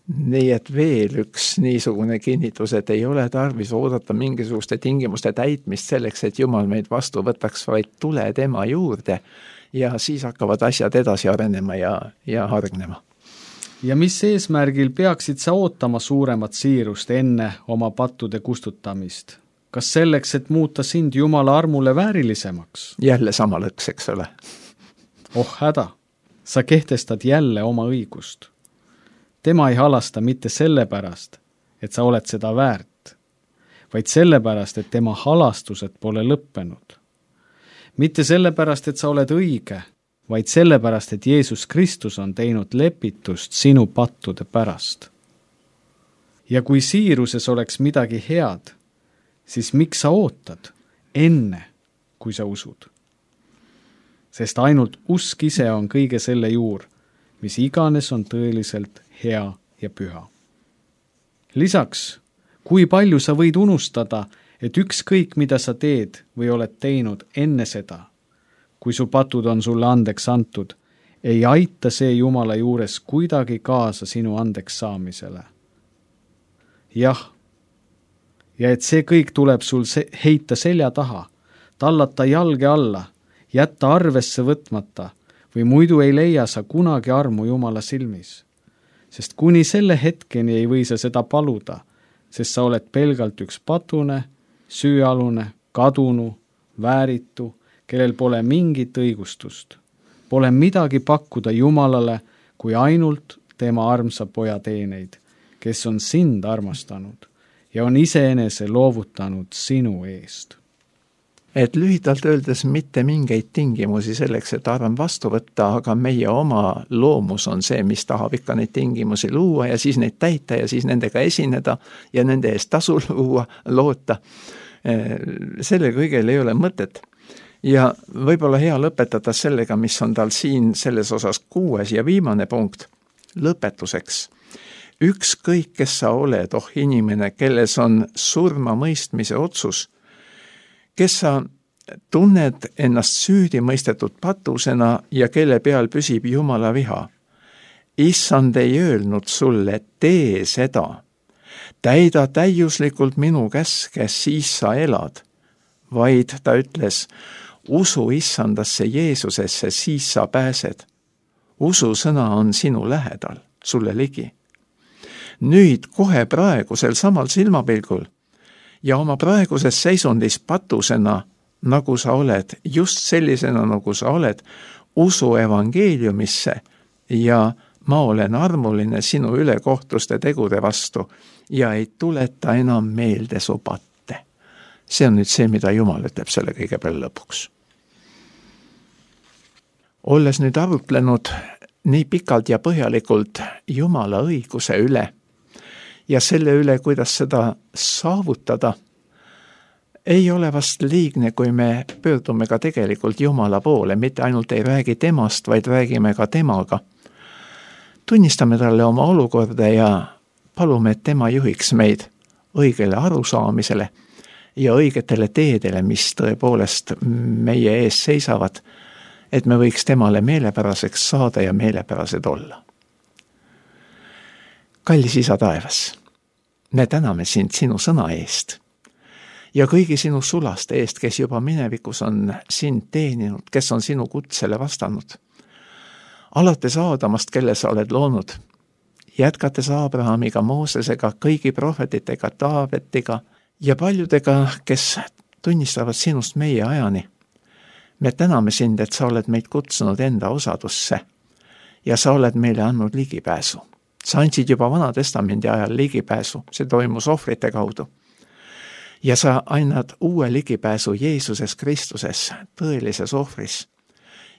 Nii et veel üks niisugune kinnitus, et ei ole tarvis oodata mingisuguste tingimuste täitmist selleks, et Jumal meid vastu võtaks, vaid tule tema juurde ja siis hakkavad asjad edasi arenema ja hargnema. Ja mis eesmärgil peaksid sa ootama suuremat siirust enne oma pattude kustutamist? Kas selleks, et muuta sind Jumala armule väärilisemaks? Jälle sama lõks, eks ole. Oh häda, sa kehtestad jälle oma õigust. Tema ei halasta mitte sellepärast, et sa oled seda väärt, vaid sellepärast, et tema halastused pole lõppenud. Mitte sellepärast, et sa oled õige, vaid sellepärast, et Jeesus Kristus on teinud lepitust sinu pattude pärast. Ja kui siiruses oleks midagi head, siis miks sa ootad enne, kui sa usud? Sest ainult usk ise on kõige selle juur, mis iganes on tõeliselt hea ja püha. Lisaks, kui palju sa võid unustada, et ükskõik, mida sa teed või oled teinud enne seda, kui su patud on sulle andeks antud, ei aita see Jumala juures kuidagi kaasa sinu andeks saamisele. Jah, ja et see kõik tuleb sul heita selja taha, tallata jalge alla, jätta arvesse võtmata või muidu ei leia sa kunagi armu Jumala silmis. Sest kuni selle hetkeni ei või sa seda paluda, sest sa oled pelgalt üks patune, süüalune, kadunu, vääritu, kellel pole mingit õigustust. Pole midagi pakkuda Jumalale, kui ainult tema armsa poja teeneid, kes on sind armastanud ja on iseenese loovutanud sinu eest. Et lühidalt öeldes mitte mingeid tingimusi selleks, et arm vastu võtta, aga meie oma loomus on see, mis tahab ikka neid tingimusi luua ja siis neid täita ja siis nendega esineda ja nende eest tasu loota. Selle kõigel ei ole mõtet. Ja võib-olla hea lõpetada sellega, mis on tal siin selles osas 6. ja viimane punkt. Lõpetuseks. Ükskõik, kes sa oled, inimene, kelles on surma mõistmise otsus, kes sa tunned ennast süüdi mõistetud patusena ja kelle peal püsib Jumala viha. Issand ei öelnud sulle, tee seda. Täida täiuslikult minu käske, siis sa elad. Vaid ta ütles, usu Issandasse Jeesusesse, siis sa pääsed. Usu sõna on sinu lähedal, sulle ligi. Nüüd kohe praegusel samal silmapilgul ja oma praeguses seisundis patusena, nagu sa oled, just sellisena, nagu sa oled, usu evangeeliumisse ja ma olen armuline sinu ülekohtuste tegude vastu ja ei tuleta enam meelde su patte. See on nüüd see, mida Jumal ütleb selle kõige peale lõpuks. Olles nüüd arutlenud nii pikalt ja põhjalikult Jumala õiguse üle ja selle üle, kuidas seda saavutada, ei ole vast liigne, kui me pöördume ka tegelikult Jumala poole, mitte ainult ei räägi temast, vaid räägime ka temaga. Tunnistame talle oma olukorda ja palume, et tema juhiks meid õigele arusaamisele ja õigetele teedele, mis tõepoolest meie ees seisavad, et me võiks temale meelepäraseks saada ja meelepärased olla. Kallis Isa taevas, me täname sind sinu sõna eest ja kõigi sinu sulaste eest, kes juba minevikus on sind teeninud, kes on sinu kutsele vastanud. Alates Aadamast, kelle sa oled loonud, jätkates Abrahamiga, Moosesega, kõigi prohvetitega, Taavetiga ja paljudega, kes tunnistavad sinust meie ajani. Me täname sind, et sa oled meid kutsunud enda osadusse ja sa oled meile andnud ligipääsu. Sa andsid juba Vana Testamendi ajal ligipääsu, see toimus ohvrite kaudu. Ja sa annad uue ligipääsu Jeesuses Kristuses, tõelises ohvris.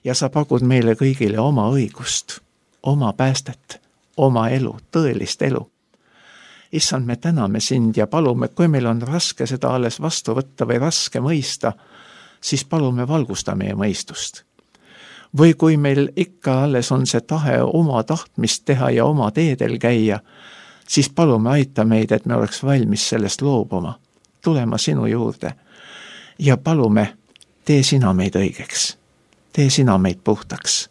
Ja sa pakud meile kõigile oma õigust, oma päästet, oma elu, tõelist elu. issand, me täname sind ja palume, kui meil on raske seda alles vastu võtta või raske mõista, siis palume valgusta meie mõistust. Või kui meil ikka alles on see tahe oma tahtmist teha ja oma teedel käia, siis palume aita meid, et me oleks valmis sellest loobuma, tulema sinu juurde ja palume, tee sina meid õigeks, tee sina meid puhtaks,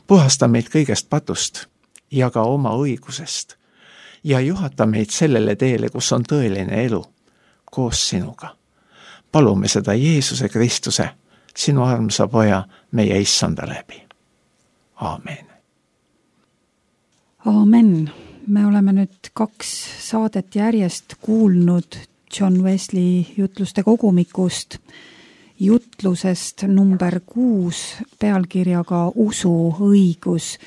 puhasta meid kõigest patust ja ka oma õigusest ja juhata meid sellele teele, kus on tõeline elu koos sinuga. Palume seda Jeesuse Kristuse, sinu armsa poja, meie issanda läbi. Aamen. Aamen. Me oleme nüüd 2 saadet järjest kuulnud John Wesley jutluste kogumikust, jutlusest number 6 pealkirjaga Usu õigus.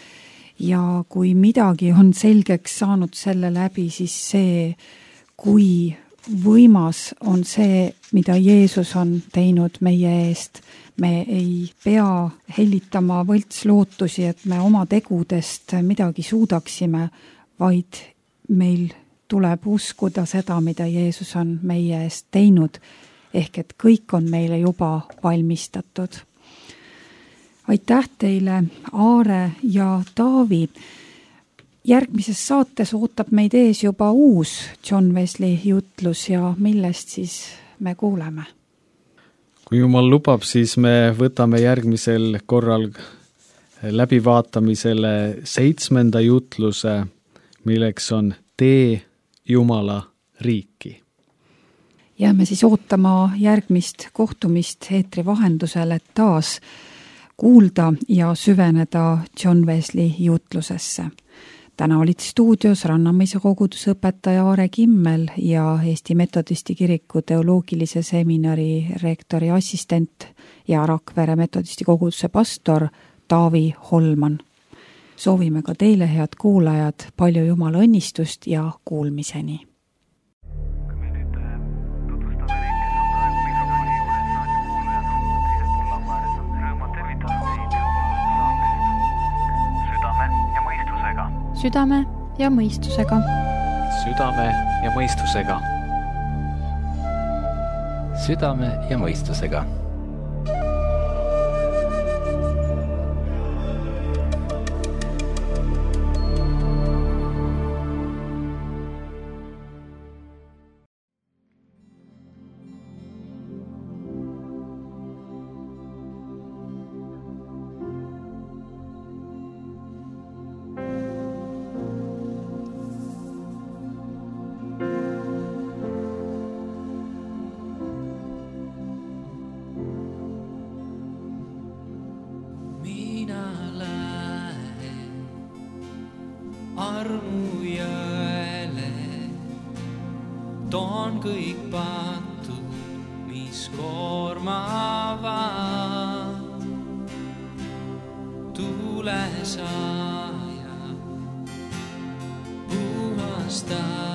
Ja kui midagi on selgeks saanud selle läbi, siis see, kui võimas on see, mida Jeesus on teinud meie eest. Me ei pea hellitama võltslootusi, et me oma tegudest midagi suudaksime, vaid meil tuleb uskuda seda, mida Jeesus on meie eest teinud, ehk et kõik on meile juba valmistatud. Aitäh teile, Aare ja Taavi. Järgmises saates ootab meid ees juba uus John Wesley jutlus ja millest siis me kuuleme? Kui jumal lubab, siis me võtame järgmisel korral läbivaatamisele 7. jutluse, milleks on Tee Jumala riiki. Jääme siis ootama järgmist kohtumist eetri vahendusel, et taas kuulda ja süveneda John Wesley jutlusesse. Täna olid stuudios Rannamõisa koguduse õpetaja Aare Kimmel ja Eesti Metodisti kiriku teoloogilise seminari rektori assistent ja Rakvere Metodisti koguduse pastor Taavi Holman. Soovime ka teile, head kuulajad, palju Jumala õnnistust ja kuulmiseni. Südame ja mõistusega. Südame ja mõistusega. Südame ja mõistusega. Armujõele toon kõik patud, mis koormavad. Tule saaja, puhasta